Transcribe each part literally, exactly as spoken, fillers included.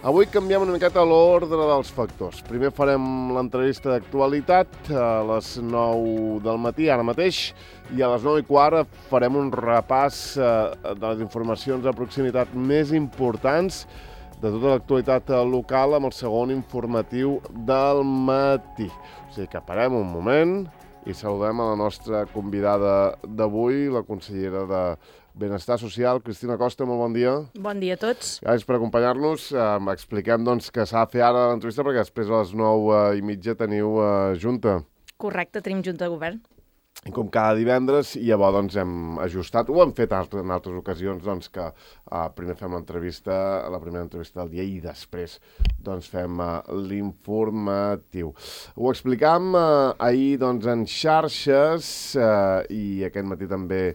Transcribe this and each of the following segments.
Avui canviem una miqueta l'ordre dels factors. Primer farem l'entrevista d'actualitat a les nou del matí, ara mateix, i a les nou i quart farem un repàs de les informacions de proximitat més importants de tota l'actualitat local amb el segon informatiu del matí. O sigui que parem un moment i saludem a la nostra convidada d'avui, la consellera de Benestar Social, Cristina Costa, molt bon dia. Bon dia a tots. Gràcies per acompanyar-nos. Eh, expliquem doncs, que s'ha de fer ara l'entrevista perquè després a les nou eh, i mitja teniu eh, junta. Correcte, tenim junta de govern. I com cada divendres, i llavors doncs, hem ajustat, ho hem fet en altres ocasions, doncs, que eh, primer fem l'entrevista, la primera entrevista del dia i després doncs, fem eh, l'informatiu. Ho explicam eh, ahir doncs, en xarxes eh, i aquest matí també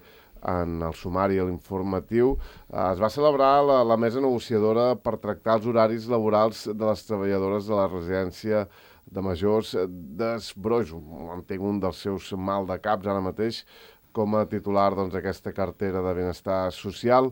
en el sumari, a l'informatiu, eh, es va celebrar la, la mesa negociadora per tractar els horaris laborals de les treballadores de la residència de majors d'Esbrojo. Entenc un dels seus mal de caps ara mateix com a titular d'aquesta doncs, cartera de benestar social.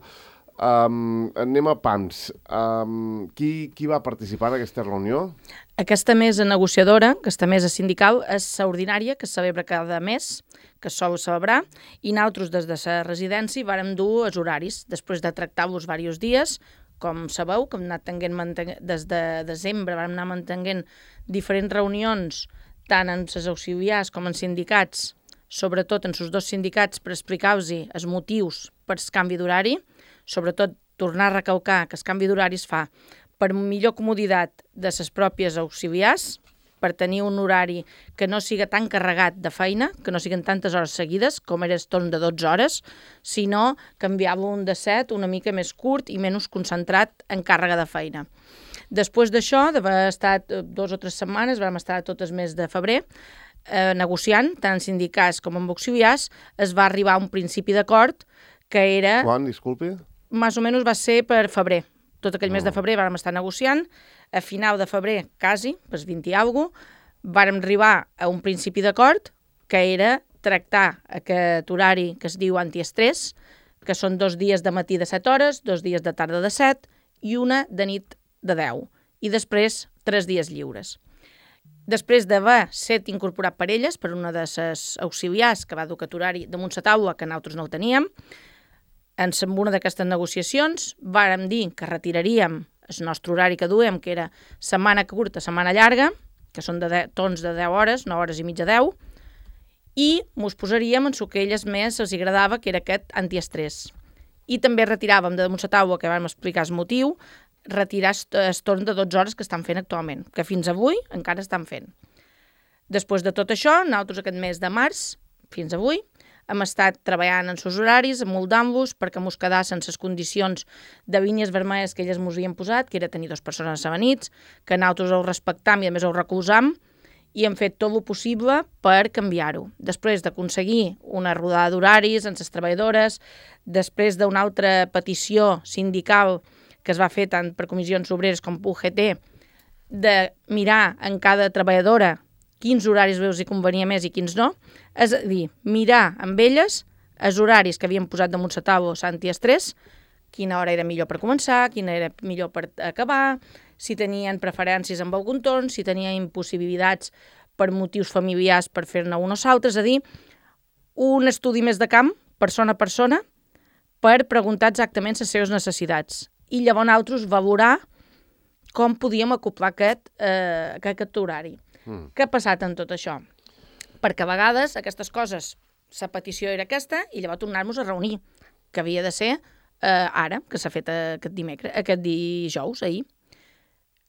Um, anem a pans. Um, qui, qui va participar en aquesta reunió? Aquesta mesa negociadora, aquesta mesa sindical, és ordinària, que es celebra cada mes, que es sol celebrar, i nosaltres des de la residència vàrem dur els horaris, després de tractar-los diversos dies. Com sabeu, que hem anat tenint, des de desembre vam anar mantenint diferents reunions, tant en les auxiliars com en sindicats, sobretot en els dos sindicats, per explicar-los els motius per el canvi d'horari, sobretot tornar a recalcar que el canvi d'horari es fa per millor comoditat de les pròpies auxiliars, per tenir un horari que no siga tan carregat de feina, que no siguin tantes hores seguides, com era el torn de dotze hores, sinó canviar-lo un de set una mica més curt i menys concentrat en càrrega de feina. Després d'això, d'haver estat dos o tres setmanes, vam estar tot el mes de febrer, eh, negociant, tant en sindicats com en auxiliars, es va arribar a un principi d'acord que era... Quan, disculpi? Més o menys va ser per febrer. Tot aquell no. mes de febrer vam estar negociant. A final de febrer, quasi, pues vint i alguna cosa, vàrem arribar a un principi d'acord que era tractar aquest horari que es diu antiestrès, que són dos dies de matí de set hores, dos dies de tarda de set i una de nit de deu. I després, tres dies lliures. Després d'haver set incorporat per elles, per una de les auxiliars que va dur aquest horari damunt la taula, que nosaltres no el teníem, en una d'aquestes negociacions vàrem dir que retiraríem el nostre horari que duem, que era setmana curta, setmana llarga, que són de deu, torns de deu hores, nou hores i mitja deu, i mos posaríem en el que a elles més els agradava, que era aquest antiestrès. I també retiràvem de damunt la taula, que vam explicar el motiu, retirar el torn de dotze hores que estan fent actualment, que fins avui encara estan fent. Després de tot això, nosaltres aquest mes de març, fins avui, hem estat treballant en els horaris, amoldant-los perquè mos quedassin les condicions de línies vermelles que elles mos havien posat, que era tenir dues persones a nits, que nosaltres ho respectam i a més ho recolzam, i hem fet tot el possible per canviar-ho. Després d'aconseguir una rodada d'horaris amb les treballadores, després d'una altra petició sindical que es va fer tant per comissions obreres com per U G T, de mirar en cada treballadora quins horaris veus hi convenia més i quins no, és a dir, mirar amb elles els horaris que havien posat damunt la taula antiestrès, quina hora era millor per començar, quina era millor per acabar, si tenien preferències amb algun torn, si tenien impossibilitats per motius familiars per fer-ne un o l'altre, és a dir, un estudi més de camp, persona a persona, per preguntar exactament les seves necessitats. I llavors nosaltres valorar com podíem acoplar aquest, eh, aquest horari. Mm. Què ha passat en tot això? Perquè a vegades aquestes coses, la petició era aquesta i llavors tornar-nos a reunir, que havia de ser eh, ara, que s'ha fet aquest dimecres, aquest dijous, ahir.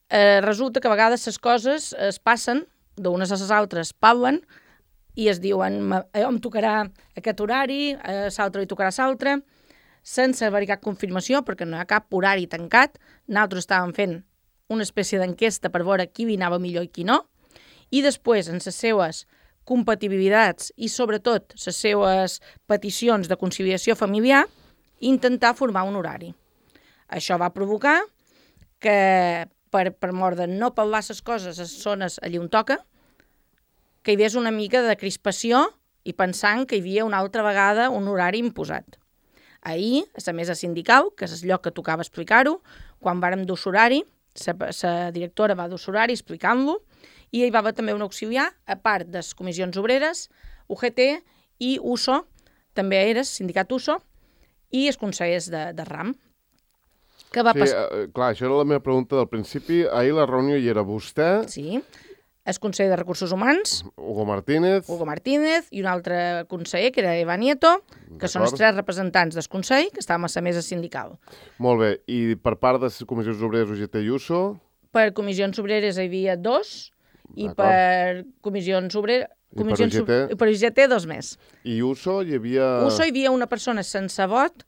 Eh, resulta que a vegades les coses es passen d'unes a les altres, parlen i es diuen, allò em tocarà aquest horari, a l'altre li tocarà l'altre, sense haver cap confirmació, perquè no hi ha cap horari tancat. Nosaltres estàvem fent una espècie d'enquesta per veure qui hi anava millor i qui no, i després, en les seues compatibilitats i, sobretot, les seues peticions de conciliació familiar, intentar formar un horari. Això va provocar que, per, per mort de no parlar les coses a les zones allà on toca, que hi hagués una mica de crispació i pensant que hi havia una altra vegada un horari imposat. Ahir, a la mesa sindical, que és el lloc que tocava explicar-ho, quan vàrem dur l'horari, la directora va dur l'horari explicant-lo, i hi va haver també un auxiliar, a part de les comissions obreres, U G T i U S O, també era el sindicat U S O, i els consellers de, de RAM. Que va sí, pas... eh, clar, això era la meva pregunta del principi. Ahir la reunió hi era vostè, Sí, el conseller de Recursos Humans, Hugo Martínez... Hugo Martínez, i un altre conseller, que era Eva Nieto, que són els tres representants del Consell, que estàvem a la mesa sindical. Molt bé, i per part de les comissions obreres U G T i U S O... Per comissions obreres hi havia dos, i D'acord. per comissions obreres... I per Comissions U G T? ob- I per U G T dos més. I U S O hi havia... U S O hi havia una persona sense vot,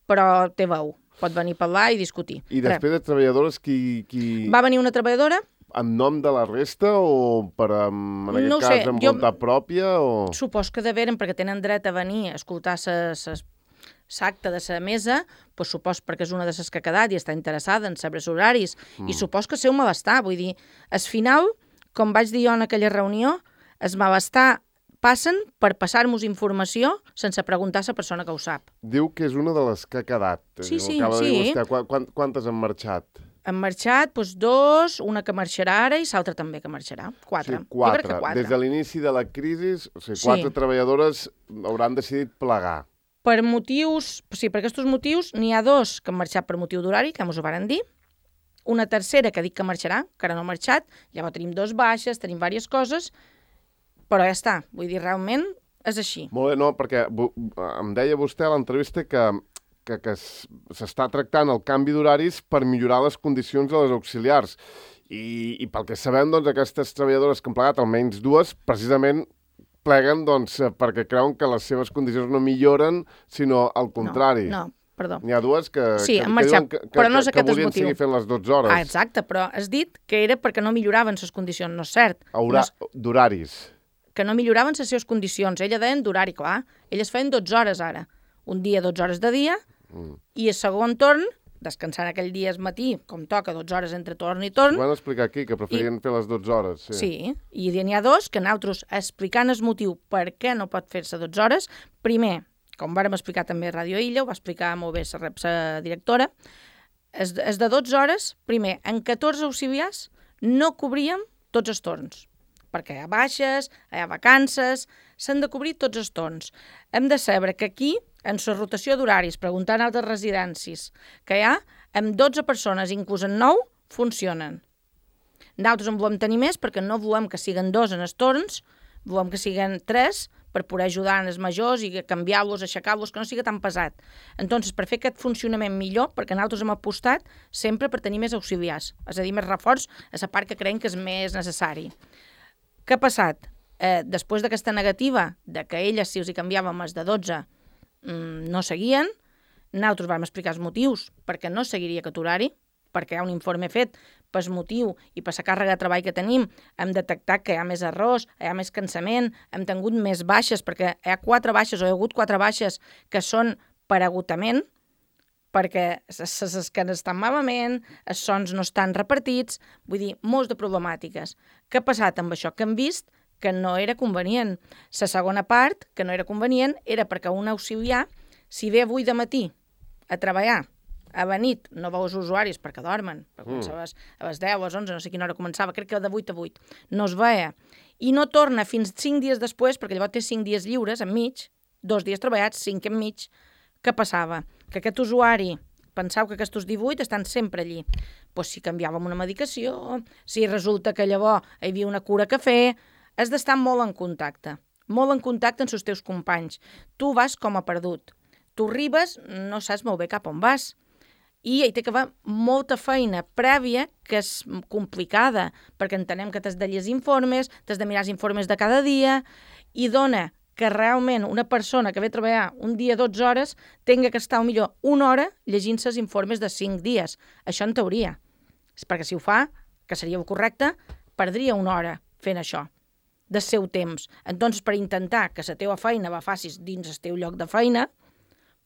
però té veu. Pot venir a parlar i discutir. I després de treballadores, qui... qui... Va venir una treballadora, En nom de la resta o per, en aquest No ho cas, sé, amb jo- voluntat pròpia? O... supos que deveren, perquè tenen dret a venir a escoltar l'acte de la mesa, doncs supos perquè és una de les que ha quedat i està interessada en saber els horaris, mm. i supos que seu malestar. Vull dir, al final, com vaig dir jo en aquella reunió, el malestar passen per passar-nos informació sense preguntar a la persona que ho sap. Diu que és una de les que ha quedat. Sí, sí, Acaba de dir sí. vostè. Qu quant, quantes han marxat? Han marxat doncs, dos, una que marxarà ara i l'altra també que marxarà. Quatre. Sí, quatre. Jo crec que quatre. Des de l'inici de la crisi, o sigui, Sí. quatre treballadores hauran decidit plegar. Per motius, sí, per aquests motius, n'hi ha dos que han marxat per motiu d'horari, que ens ho varen dir, una tercera que dic que marxarà, que ara no ha marxat, llavors tenim dos baixes, tenim diverses coses, però ja està, vull dir, realment és així. Molt bé, no, perquè em deia vostè a l'entrevista que, que, que s'està tractant el canvi d'horaris per millorar les condicions de les auxiliars. I, i pel que sabem, doncs, aquestes treballadores que han plegat, almenys dues, precisament pleguen doncs, perquè creuen que les seves condicions no milloren, sinó al contrari. No, no, perdó. N'hi ha dues que, Sí, que, han que, marxat, diuen que, però no és que, aquest que el volien motiu. seguir fent les dotze hores. Ah, exacte, però has dit que era perquè no milloraven les condicions, no és cert. Haurà No és, d'horaris. que no milloraven les seves condicions. Ella deien d'horari, clar. Elles feien dotze hores ara. Un dia, dotze hores de dia, mm. i el segon torn, descansant aquell dia al matí, com toca, dotze hores entre torn i torn. Ho van explicar aquí, que preferien I... fer les dotze hores. Sí, sí, i n'hi ha dos que nosaltres, explicant el motiu per què no pot fer-se dotze hores, primer, com vàrem explicar també a Ràdio Illa, ho va explicar molt bé la, la directora, és, és de dotze hores, primer, en catorze auxiliars no cobríem tots els torns, perquè hi ha baixes, hi ha vacances, s'han de cobrir tots els torns. Hem de saber que aquí, en la rotació d'horaris, preguntant a altres residències que hi ha, amb dotze persones, inclús en nou, funcionen. Nosaltres en volem tenir més perquè no volem que siguen dos en els torns, volem que siguen tres per poder ajudar els majors i canviar-los, aixecar-los, que no sigui tan pesat. Entonces, per fer aquest funcionament millor, perquè nosaltres hem apostat sempre per tenir més auxiliars, és a dir, més reforç a la part que creiem que és més necessari. Què ha passat? Eh, després d'aquesta negativa, de que elles, si els hi canviàvem els de dotze, mmm, no seguien, nosaltres vam explicar els motius perquè no seguiria aquest horari, perquè hi ha un informe fet per motiu i per la càrrega de treball que tenim, hem detectat que hi ha més errors, hi ha més cansament, hem tingut més baixes, perquè hi ha quatre baixes o hi ha hagut quatre baixes que són per agotament, perquè les esquenes estan malament, els sons no estan repartits, vull dir, molts de problemàtiques. Què ha passat amb això? Que hem vist que no era convenient. La segona part, que no era convenient, era perquè un auxiliar, si ve avui de matí a treballar, a la nit, no veu els usuaris perquè dormen, perquè mm. a, les, a les deu, a les onze, no sé quina hora començava, crec que de vuit a vuit, no es veia, i no torna fins cinc dies després, perquè llavors té cinc dies lliures enmig, dos dies treballats, cinc enmig. Què passava? Que aquest usuari pensava que aquests divuit estan sempre allí. Pues si canviàvem una medicació, si resulta que llavors hi havia una cura a fer, has d'estar molt en contacte, molt en contacte amb els teus companys. Tu vas com a perdut. Tu arribes, no saps molt bé cap on vas. I hi té que haver molta feina prèvia, que és complicada, perquè entenem que t'has de llegir informes, t'has de mirar els informes de cada dia, i dona que realment una persona que ve a treballar un dia dotze hores tinga que estar millor una hora llegint-se els informes de cinc dies. Això en teoria. És perquè si ho fa, que seria el correcte, perdria una hora fent això del seu temps. Entonces, per intentar que la teva feina la facis dins el teu lloc de feina,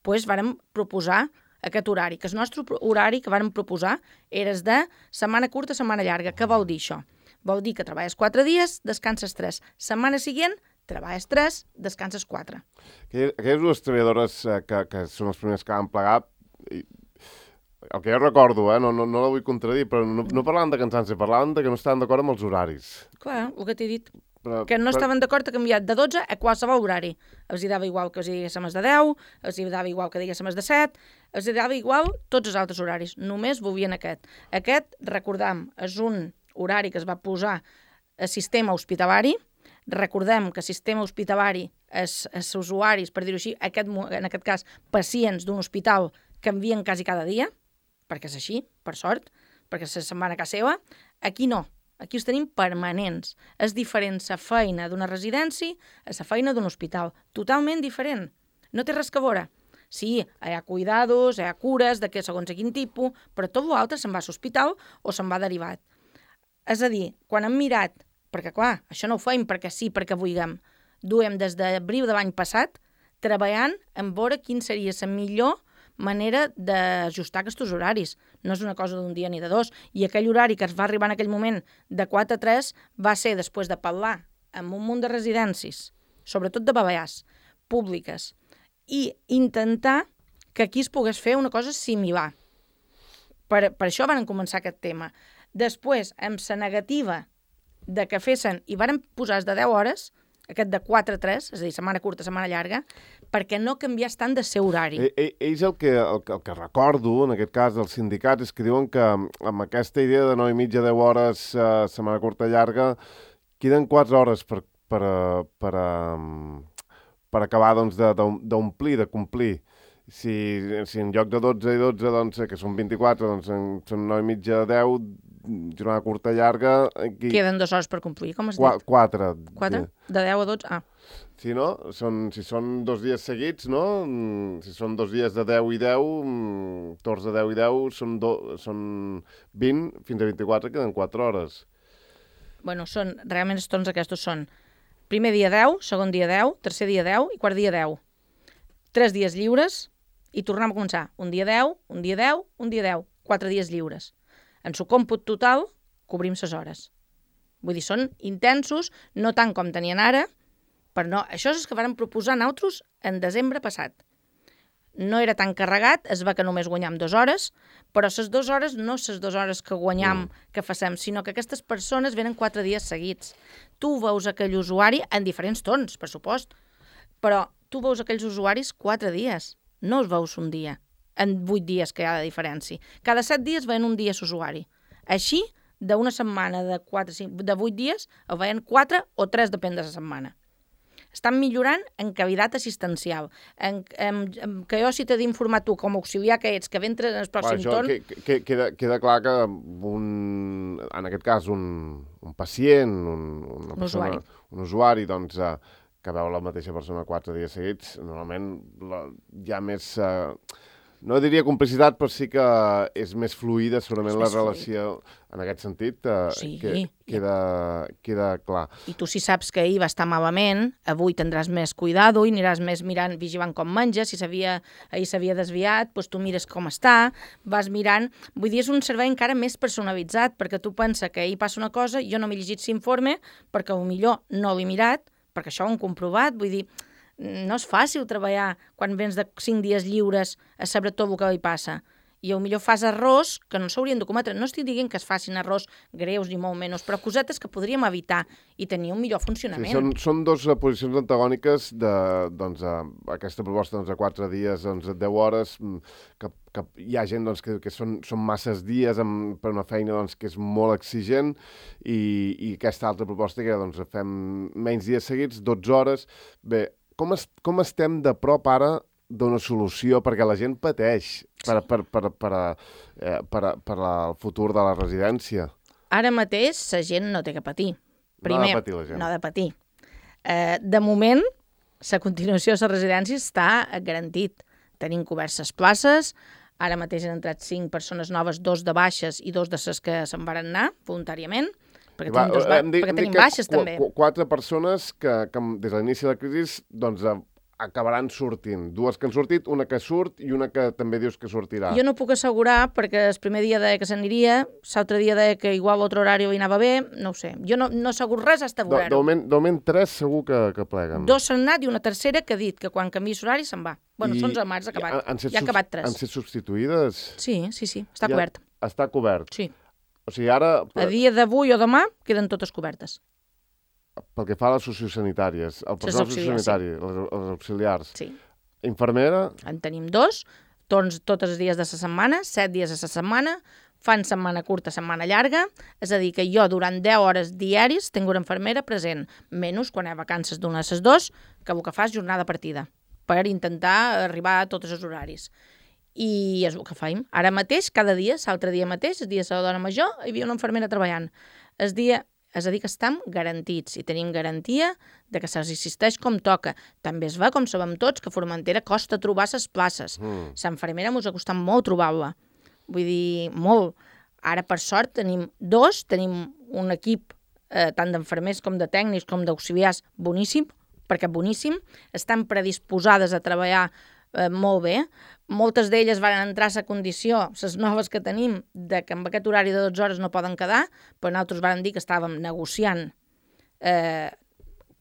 doncs vàrem proposar aquest horari, que el nostre horari que vàrem proposar era de setmana curta, setmana llarga. Què vol dir això? Vol dir que treballes quatre dies, descanses tres. Setmana següent, treballes tres, descanses quatre. Aquelles dues treballadores eh, que, que són les primeres que van plegar, el que jo recordo, eh, no, no, no la vull contradir, però no, no parlàvem de cansanci, parlàvem de que no estaven d'acord amb els horaris. Clar, el que t'he dit. Però, Que no però... estaven d'acord a canviar de dotze a qualsevol horari. Els hi dava igual que els diguéssim els de deu, els hi dava igual que diguéssim els de set, els hi dava igual tots els altres horaris. Només volien aquest. Aquest, recordam, és un horari que es va posar a sistema hospitalari. Recordem que sistema hospitalari és, és usuaris, per dir-ho així, aquest, en aquest cas, pacients d'un hospital canvien quasi cada dia, perquè és així, per sort, perquè se'n van a casa seva. Aquí no. Aquí els tenim permanents. És diferent la feina d'una residència a la feina d'un hospital. Totalment diferent. No té res que veure. Sí, hi ha cuidados, hi ha cures, de què segons a quin tipus, però tot l'altre se'n va a l'hospital o se'n va derivat. És a dir, quan hem mirat, perquè clar, això no ho feim perquè sí, perquè vulguem, duem des d'abril de l'any passat treballant en veure quin seria la millor manera d'ajustar aquests horaris. No és una cosa d'un dia ni de dos. I aquell horari que es va arribar en aquell moment de quatre a tres va ser després de parlar amb un munt de residències, sobretot de Balears, públiques, i intentar que aquí es pogués fer una cosa similar. Per, per això van començar aquest tema. Després, amb la negativa de que fessin, i varen posar de deu hores, aquest de quatre a tres, és a dir, setmana curta, setmana llarga, perquè no canviés tant de seu horari. E, e, ells el que, el, el que recordo, en aquest cas, dels sindicats, és que diuen que amb aquesta idea de nou i mitja, deu hores, eh, setmana curta, llarga, queden quatre hores per, per, per, per, per acabar doncs, d'omplir, de, de complir. Si, si en lloc de dotze i dotze, doncs, que són vint-i-quatre, doncs en, són nou i mitja, deu, jornada curta, llarga... Aquí... Queden dues hores per complir, com has Qua, dit? Quatre. Quatre? De deu a dotze? Ah. Si no, són, si són dos dies seguits, no? Si són dos dies de deu i deu, torns de deu i deu, són, do, són vint fins a vint-i-quatre, queden quatre hores. Bueno, són, realment els torns aquests són primer dia deu, segon dia deu, tercer dia deu i quart dia deu. Tres dies lliures i tornem a començar. Un dia deu, un dia deu, un dia deu. Quatre dies lliures. En su còmput total, cobrim ses hores. Vull dir, són intensos, no tant com tenien ara, però no, això és el que vàrem proposar nosaltres en desembre passat. No era tan carregat, es va que només guanyam dues hores, però les dues hores no les dues hores que guanyam, mm. que facem, sinó que aquestes persones venen quatre dies seguits. Tu veus aquell usuari en diferents tons, per supost, però tu veus aquells usuaris quatre dies, no els veus un dia, en vuit dies que hi ha de diferència. Cada set dies veien un dia l'usuari. Així, d'una setmana de, quatre, cinc, de vuit dies, el veien quatre o tres, depèn de la setmana. Estan millorant en qualitat assistencial. En, en, en, que jo si t'he d'informar tu, com a auxiliar que ets, que ventre en el pròxim Va, torn... Que, que, queda, queda clar que un, en aquest cas un, un pacient, un, una un persona, usuari, un usuari doncs, eh, que veu la mateixa persona quatre dies seguits, normalment la, hi ha més... Eh, no diria complicitat, però sí que és més fluida, segurament la relació fluid. En aquest sentit, eh, sí, que, queda, queda clar. I tu si saps que ahir va estar malament, avui tindràs més cuidado i aniràs més mirant, vigilant com menja, si s'havia, ahir s'havia desviat, doncs tu mires com està, vas mirant... Vull dir, és un servei encara més personalitzat, perquè tu pensa que ahir passa una cosa, jo no m'he llegit l'informe, perquè millor no l'he mirat, perquè això ho hem comprovat, vull dir... No és fàcil treballar quan vens de cinc dies lliures a saber tot el que li passa. I potser fas errors que no s'haurien de cometre. No estic dient que es facin errors greus ni molt menys, però cosetes que podríem evitar i tenir un millor funcionament. Sí, són, són dues posicions antagòniques de doncs, a, aquesta proposta doncs, a quatre dies, doncs, a deu hores, que, que hi ha gent doncs, que, que són, són masses dies amb, per una feina doncs, que és molt exigent i, i aquesta altra proposta que doncs, fem menys dies seguits, dotze hores. Bé, Com, es, com estem de prop ara d'una solució? Perquè la gent pateix per, per, per, per, eh, per, per la, el futur de la residència. Ara mateix la gent no té que patir. Primer, no ha de patir la gent. No ha de patir. Eh, de moment, la continuació de la residència està garantit. Tenim cobertes places, ara mateix han entrat cinc persones noves, dos de baixes i dos de les que se'n van anar voluntàriament, perquè Va, tenim, dos ba dit, perquè tenim baixes qu també. Qu quatre persones que, que des de l'inici de la crisi doncs, acabaran sortint. Dues que han sortit, una que surt i una que també dius que sortirà. Jo no puc assegurar, perquè el primer dia deia que s'aniria, l'altre dia deia que igual l'altre horari hi anava bé, no ho sé. Jo no, no assegur res hasta De, veure-ho. de, moment, de moment tres segur que, que pleguen. Dos s'han anat i una tercera que ha dit que quan canviï l'horari se'n va. Bueno, I, són onze de març, ha acabat. Han, Ja ha acabat tres. Han set substituïdes? Sí, sí, sí, està ja, cobert. Està cobert. Sí. O sigui, ara... A dia d'avui o demà queden totes cobertes. Pel que fa a les sociosanitàries, el personal sociosanitari, sí. les, els auxiliars, sí. infermera... En tenim dos, tots, tots els dies de la setmana, set dies a la setmana, fan setmana curta, setmana llarga, és a dir, que jo durant deu hores diaris tinc una infermera present, menys quan hi ha vacances d'una de les dos, que el que fa és jornada partida, per intentar arribar a tots els horaris. I és el que faim. Ara mateix, cada dia, l'altre dia mateix, el dia de la dona major, hi havia una infermera treballant. El dia... És a dir, que estem garantits i tenim garantia de que se'ls assisteix com toca. També es va, com sabem tots, que a Formentera costa trobar les places. Mm. L'infermera ens ha costat molt trobar-la. Vull dir, molt. Ara, per sort, tenim dos, tenim un equip eh, tant d'infermers com de tècnics com d'auxiliars boníssim, perquè boníssim, estan predisposades a treballar eh, molt bé. Moltes d'elles van entrar a la condició, les noves que tenim, de que amb aquest horari de dotze hores no poden quedar, però nosaltres vam dir que estàvem negociant eh,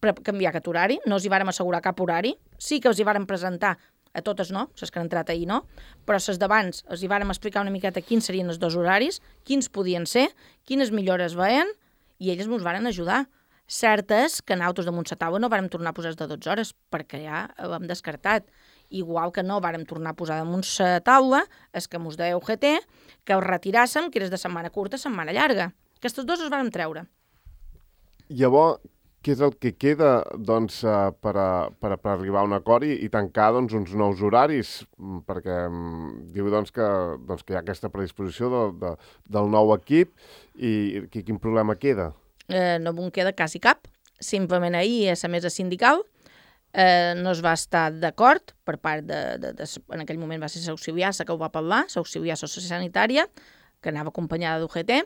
per canviar aquest horari, no els hi vàrem assegurar cap horari, sí que els hi vàrem presentar, a totes no, les que han entrat ahir no, però les d'abans els hi vàrem explicar una miqueta quins serien els dos horaris, quins podien ser, quines millores veien, i elles ens varen ajudar. Cert és que nosaltres damunt la taula no vàrem tornar a posar de dotze hores, perquè ja ho hem descartat. Igual que no vàrem tornar a posar damunt la taula, és que mos deia U G T que ho retiràssim, que eres de setmana curta a setmana llarga. Aquestes dues els vàrem treure. Llavors, què és el que queda doncs, per, a, per, a, per arribar a un acord i, i tancar doncs, uns nous horaris? Perquè diu doncs, que, doncs, que hi ha aquesta predisposició de, de, del nou equip i quin problema queda? Eh, no en queda quasi cap. Simplement ahir, a la mesa sindical, Eh, no es va estar d'acord per part de, de, de... En aquell moment va ser l'auxiliar que ho va parlar, l'auxiliar sociosanitària, que anava acompanyada d'U G T,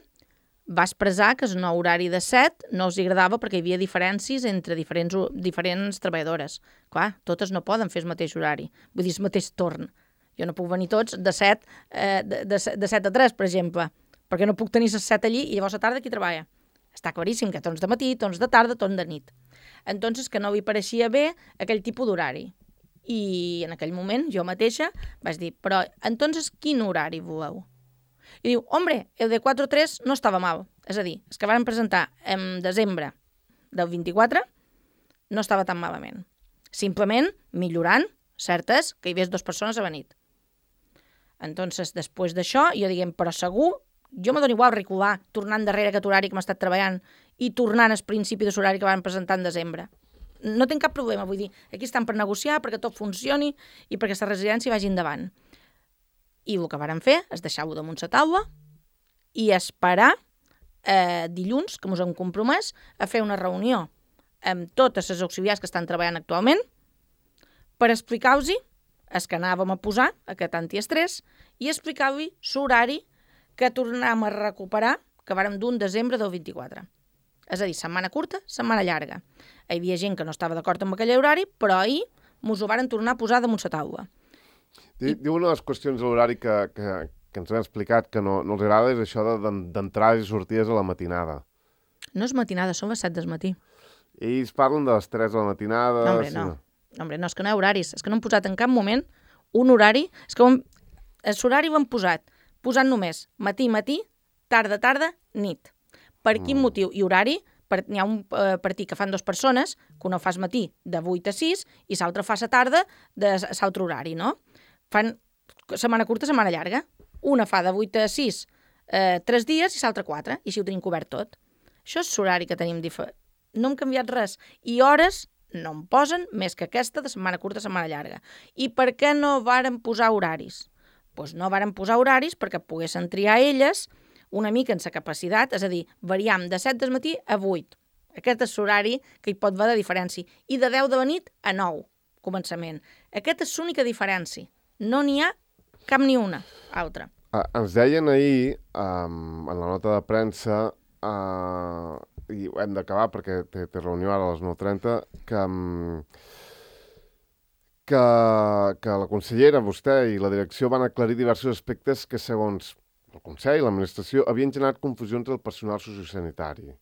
va expressar que el nou horari de set no els agradava perquè hi havia diferències entre diferents, diferents treballadores. Clar, totes no poden fer el mateix horari, vull dir, el mateix torn. Jo no puc venir tots de set, eh, de, de, de set a tres, per exemple, perquè no puc tenir les set allí i llavors a tarda qui treballa. Està claríssim que torns de matí, torns de tarda, torns de nit. Entonces que no li pareixia bé aquell tipus d'horari. I en aquell moment jo mateixa vaig dir, però entonces quin horari voleu? I diu, hombre, el de quatre a tres no estava mal. És a dir, el que van presentar en desembre del vint-i-quatre no estava tan malament. Simplement millorant, cert és que hi hagués dues persones a la nit. Entonces, després d'això, jo diguem, però segur, jo me dono igual recular, tornant darrere aquest horari que m'ha estat treballant i tornant al principi de l'horari que van presentar en desembre. No tinc cap problema, vull dir, aquí estan per negociar, perquè tot funcioni i perquè la residència vagi endavant. I el que varen fer és deixar-ho damunt la taula i esperar eh, dilluns, que ens hem compromès, a fer una reunió amb totes les auxiliars que estan treballant actualment per explicar-los el que anàvem a posar, aquest antiestrès, i explicar-li l'horari que tornàvem a recuperar, que vàrem d'un desembre del vint-i-quatre. És a dir, setmana curta, setmana llarga. Hi havia gent que no estava d'acord amb aquell horari, però ahir mos ho varen tornar a posar damunt la taula. Diu, I... una de les qüestions de l'horari que, que, que ens han explicat que no, no els agrada és això d'entrades i sortides a la matinada. No és matinada, són les set del matí. Ells parlen de les tres de la matinada... No, hombre, sí. no. no. Hombre, no, és que no hi ha horaris. És que no hem posat en cap moment un horari... És que l'horari ho hem posat posant només matí, matí, tarda, tarda, nit. Per quin mm. motiu? I horari, per, n'hi ha un eh, partit que fan dues persones, que una fas matí de vuit a sis i l'altra fa la tarda de l'altre horari, no? Fan setmana curta, setmana llarga. Una fa de vuit a sis eh, tres dies i l'altra quatre, i així ho tenim cobert tot. Això és l'horari que tenim diferent. No hem canviat res. I hores no em posen més que aquesta de setmana curta, setmana llarga. I per què no varen posar horaris? Doncs no varen posar horaris perquè poguessin triar elles una mica en sa capacitat, és a dir, variam de set del matí a vuit. Aquest és l'horari que hi pot haver de diferència. I de deu de la nit a nou, començament. Aquesta és l'única diferència. No n'hi ha cap ni una altra. Uh, ens deien ahir, um, en la nota de premsa, uh, i hem d'acabar perquè té, té reunió ara a les nou trenta, que... Um, que, que la consellera, vostè i la direcció van aclarir diversos aspectes que, segons el Consell i l'administració, havien generat confusió entre el personal sociosanitari.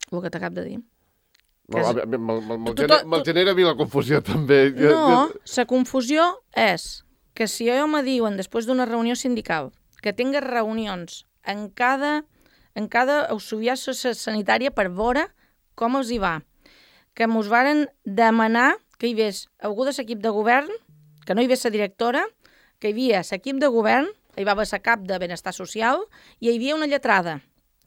El que t'acab de dir. Me'l me, me, me, me, gener, me genera a mi la confusió, també. No, la confusió és que si jo me diuen, després d'una reunió sindical, que tingues reunions en cada, en cada auxiliar sanitària per veure com els hi va, que mos varen demanar que hi hagués algú de l'equip de govern, que no hi hagués la directora, que hi havia l'equip de govern, hi va haver la cap de benestar social i hi havia una lletrada.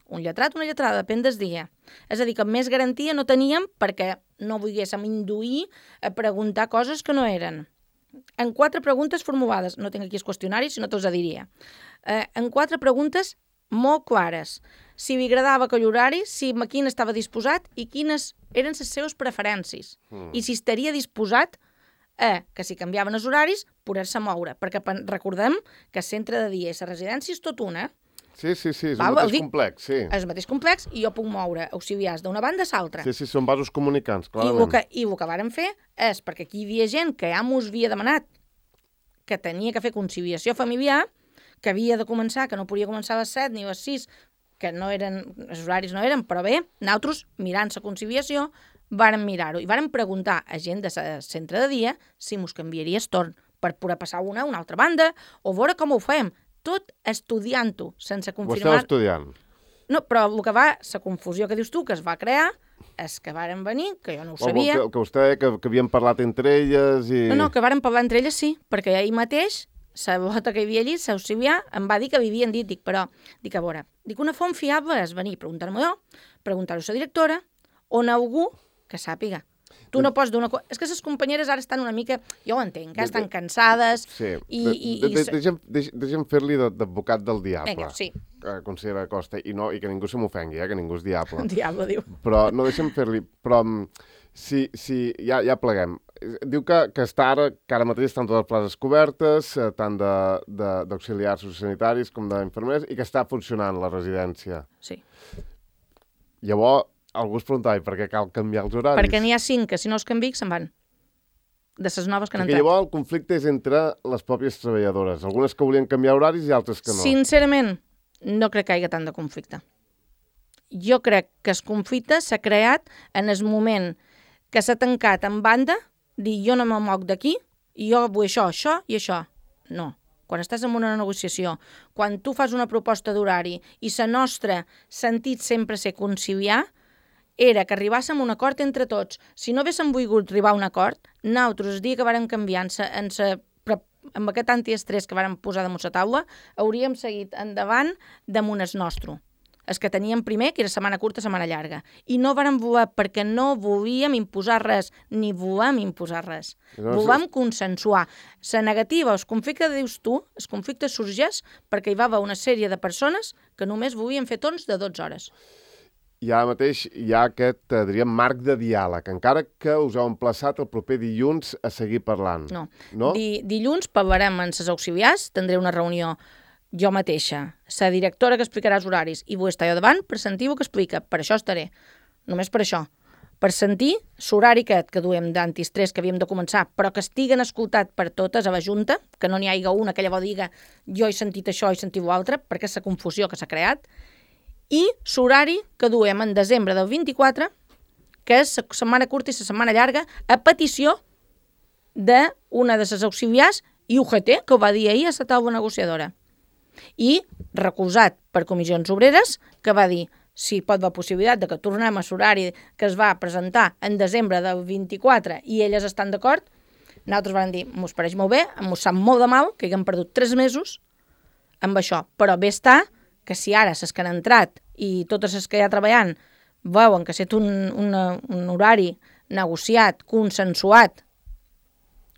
Un lletrat, una lletrada, depèn del dia. És a dir, que més garantia no teníem perquè no volguéssim induir a preguntar coses que no eren. En quatre preguntes formulades, no tinc aquí els qüestionaris, si no te'ls diria, eh, en quatre preguntes molt clares. Si li agradava aquell horari, si quin estava disposat i quines eren les seves preferències. Mm. I si estaria disposat a que si canviaven els horaris, poder-se moure. Perquè recordem que el centre de dia i la residència és tot una. Sí, sí, sí, és el mateix dic, complex, sí. És el mateix complex i jo puc moure auxiliars d'una banda a l'altra. Sí, sí, són vasos comunicants, clarament. I el que, i el que vàrem fer és, perquè aquí hi havia gent que ja mos havia demanat que tenia que fer conciliació familiar, que havia de començar, que no podia començar a les set ni a les sis, que no eren, els horaris no eren, però bé, nosaltres, mirant la conciliació, vàrem mirar-ho i vàrem preguntar a gent del centre de dia si mos canviaria el torn per poder passar una a una altra banda o veure com ho fem. Tot estudiant-ho, sense confirmar... Ho esteu estudiant? No, però el que va, la confusió que dius tu, que es va crear, és que varen venir, que jo no ho sabia... Que, que vostè, que, que havien parlat entre elles i... No, no, que varen parlar entre elles, sí, perquè ahir mateix, la bota que hi havia allí, l'auxiliar, em va dir que vivien dit, dic, però, dic, a veure, dic, una font fiable és venir, preguntar-m'ho jo, preguntar-ho a la directora, on algú que sàpiga. Tu no pots donar... És que les companyeres ara estan una mica... Jo ho entenc, eh? Estan cansades... Sí. I, i, de, de, de, deixa'm, deixa'm fer-li d'advocat del diable. Vinga, sí. Consellera Costa. I, no, i que ningú se m'ofengui, eh? Que ningú és diable. Diable, diu. Però no, deixa'm fer-li... Però si, si ja, ja pleguem. Diu que, que està ara, que ara mateix estan totes les places cobertes, tant d'auxiliars sociosanitaris com d'infermers, i que està funcionant la residència. Sí. Llavors, algú es preguntava per què cal canviar els horaris. Perquè n'hi ha cinc que si no els canviï se'n van. De les noves que han entrat. Llavors el conflicte és entre les pròpies treballadores. Algunes que volien canviar horaris i altres que no. Sincerament, no crec que hi hagi tant de conflicte. Jo crec que el conflicte s'ha creat en el moment que s'ha tancat en banda, dir jo no me moc d'aquí, i jo vull això, això i això. No. Quan estàs en una negociació, quan tu fas una proposta d'horari i la nostra sentit sempre ser conciliar, era que arribàssim a un acord entre tots. Si no haguéssim volgut arribar a un acord, nosaltres, el dia que vàrem canviar en sa, en sa, amb aquest antiestrès que vàrem posar damunt la taula, hauríem seguit endavant damunt el nostre. El que teníem primer, que era setmana curta, setmana llarga. I no vàrem voler, perquè no volíem imposar res, ni volem imposar res. No, volem consensuar. La negativa, els conflictes, dius tu, els conflictes sorgeix perquè hi va haver una sèrie de persones que només volien fer torns de dotze hores. I ara mateix hi ha aquest, diríem, marc de diàleg, encara que us heu emplaçat el proper dilluns a seguir parlant. No. no? Di, dilluns parlarem amb les auxiliars, tindré una reunió jo mateixa, la directora que explicarà els horaris, i vull estar jo davant per sentir el que explica. Per això estaré, només per això. Per sentir l'horari aquest que duem d'antiestrès que havíem de començar, però que estiguen escoltat per totes a la Junta, que no n'hi hagi una que llavors diga jo he sentit això, he sentit l'altre, perquè és la confusió que s'ha creat, i l'horari que duem en desembre del vint-i-quatre, que és la setmana curta i la setmana llarga, a petició d'una de les auxiliars i U G T, que ho va dir ahir a la taula negociadora. I recolzat per comissions obreres, que va dir si pot haver possibilitat de que tornem a l'horari que es va presentar en desembre del vint-i-quatre i elles estan d'acord, nosaltres vam dir, mos pareix molt bé, mos sap molt de mal que haguem perdut tres mesos amb això, però bé està que si ara les que han entrat i totes les que hi ha treballant veuen que ha estat un, una, un horari negociat, consensuat,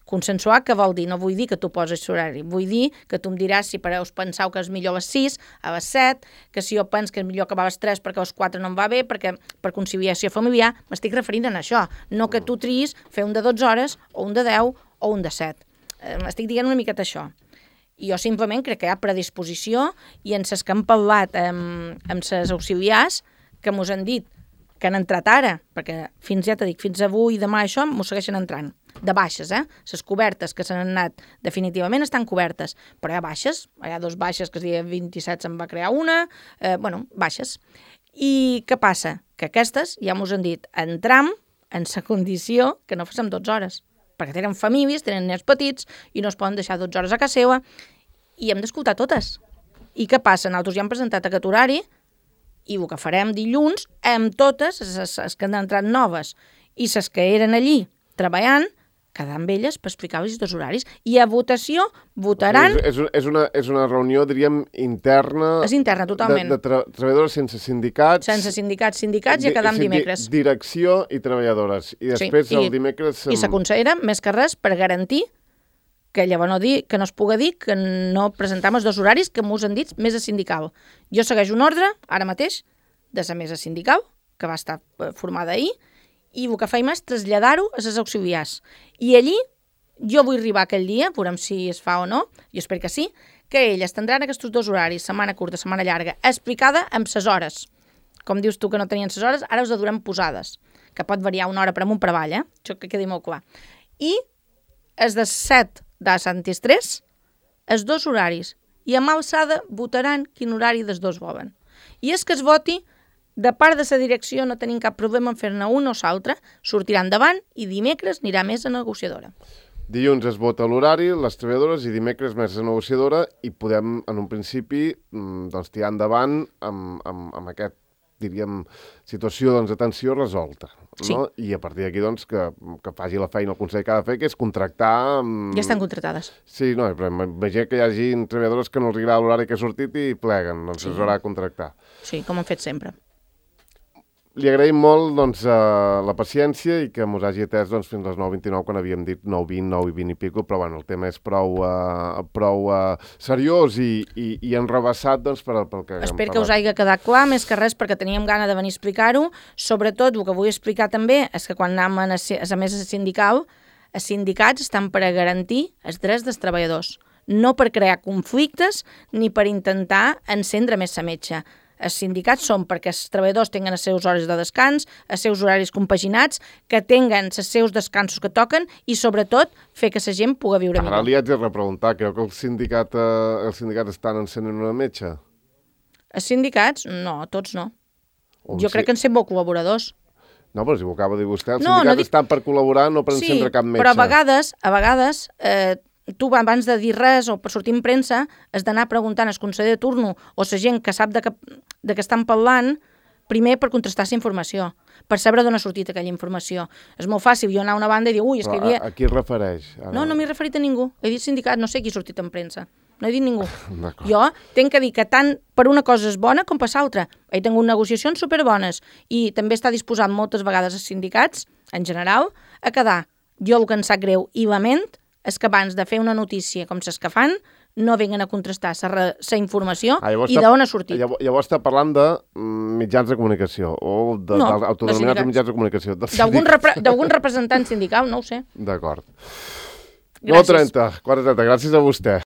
consensuat que vol dir? No vull dir que tu poses l'horari, vull dir que tu em diràs si per us penseu que és millor a les sis, a les set, que si jo penso que és millor acabar a les tres perquè a les quatre no em va bé, perquè per conciliació familiar m'estic referint a això, no que tu triïs fer un de dotze hores o un de deu o un de set. M'estic dient una miqueta això. I jo simplement crec que hi ha predisposició i en les que hem parlat amb, amb les auxiliars que mos han dit que han entrat ara, perquè fins, ja t'he dit, fins avui, demà, això, m'ho segueixen entrant, de baixes, eh? Les cobertes que s'han anat definitivament estan cobertes, però hi ha baixes, hi ha dos baixes que el dia vint-i-set se'n va crear una, eh, bueno, baixes. I què passa? Que aquestes, ja mos han dit, entram en la condició que no fem dotze hores, perquè tenen famílies, tenen nens petits i no es poden deixar dotze hores a casa seva i hem d'escoltar totes. I què passa? Nosaltres ja hem presentat aquest horari i el que farem dilluns amb totes les que han entrat noves i les que eren allí treballant, quedar amb elles per explicar-los els dos horaris. I a votació votaran... O sigui, és, és, una, és una reunió, diríem, interna... És interna, totalment. De, de tra treballadores sense sindicats... Sense sindicats, sindicats i a quedar amb dimecres. Direcció i treballadores. I després sí, i, el dimecres... I la consellera, més que res, per garantir que llavors no, dir, que no es pugui dir que no presentam els dos horaris que m'us han dit mesa sindical. Jo segueixo un ordre, ara mateix, de la mesa sindical, que va estar formada ahir, i el que faim és traslladar-ho a les auxiliars. I allí, jo vull arribar aquell dia, veurem si es fa o no, jo espero que sí, que elles tindran aquests dos horaris, setmana curta, setmana llarga, explicada amb ses hores. Com dius tu que no tenien ses hores, ara us la durem posades, que pot variar una hora per amunt per avall, eh? Això que quedi molt clar. I els de set de Sant Estrès, els dos horaris, i amb alçada votaran quin horari dels dos volen. I és que es voti, de part de la direcció no tenim cap problema en fer-ne un o l'altre, sortirà endavant i dimecres anirà més a negociadora. Dilluns es vota l'horari, les treballadores, i dimecres més a negociadora, i podem, en un principi, doncs, tirar endavant amb, amb, amb aquest, diríem, situació doncs, de tensió resolta. Sí. No? I a partir d'aquí, doncs, que, que faci la feina el Consell que ha de fer, que és contractar... Amb... Ja estan contractades. Sí, no, però imagina que hi hagi treballadores que no els agrada l'horari que ha sortit i pleguen, doncs sí. Es haurà de contractar. Sí, com han fet sempre. Li agraïm molt doncs, uh, la paciència i que mos hagi atès doncs, fins a les nou vint-i-nou, quan havíem dit nou vint, nou vint i pico, però bueno, el tema és prou, uh, prou uh, seriós i, i, i enrebaçat doncs, per, pel que... Espero que us hagi quedat clar, més que res, perquè teníem gana de venir a explicar-ho. Sobretot, el que vull explicar també és que quan anem a la mesa sindical, els sindicats estan per a garantir els drets dels treballadors, no per crear conflictes ni per intentar encendre més la metxa. Els sindicats són perquè els treballadors tinguin els seus hores de descans, els seus horaris compaginats, que tinguin els seus descansos que toquen i, sobretot, fer que la gent pugui viure millor. Ara li haig de repreguntar, creu que els sindicats, eh, els sindicats estan encenen una metxa? Els sindicats? No, tots no. O jo sí. crec que en són molt col·laboradors. No, però si ho acaba de dir vostè, els no, sindicats no dic... estan per col·laborar, no per encendre sí, cap metge. Però a vegades, a vegades... Eh, tu, abans de dir res o per sortir en premsa, has d'anar preguntant al conseller de turno o la gent que sap de què, de què estan parlant, primer per contrastar la informació, per saber d'on ha sortit aquella informació. És molt fàcil jo anar a una banda i dir, ui, és que hi havia... A, a qui es refereix? Ara... No, no m'he referit a ningú. He dit sindicat, no sé qui ha sortit en premsa. No he dit ningú. Jo tinc que dir que tant per una cosa és bona com per l'altra. He tingut negociacions superbones i també està disposat moltes vegades els sindicats, en general, a quedar. Jo el que em sap greu i lament és que abans de fer una notícia com les que fan, no venguen a contrastar la informació ah, i d'on ha sortit. Llavors, llavors està parlant de mitjans de comunicació o d'autodenominats no, mitjans de comunicació. D'algun repre representant sindical, no ho sé. D'acord. nou trenta, quatre trenta, gràcies a vostè.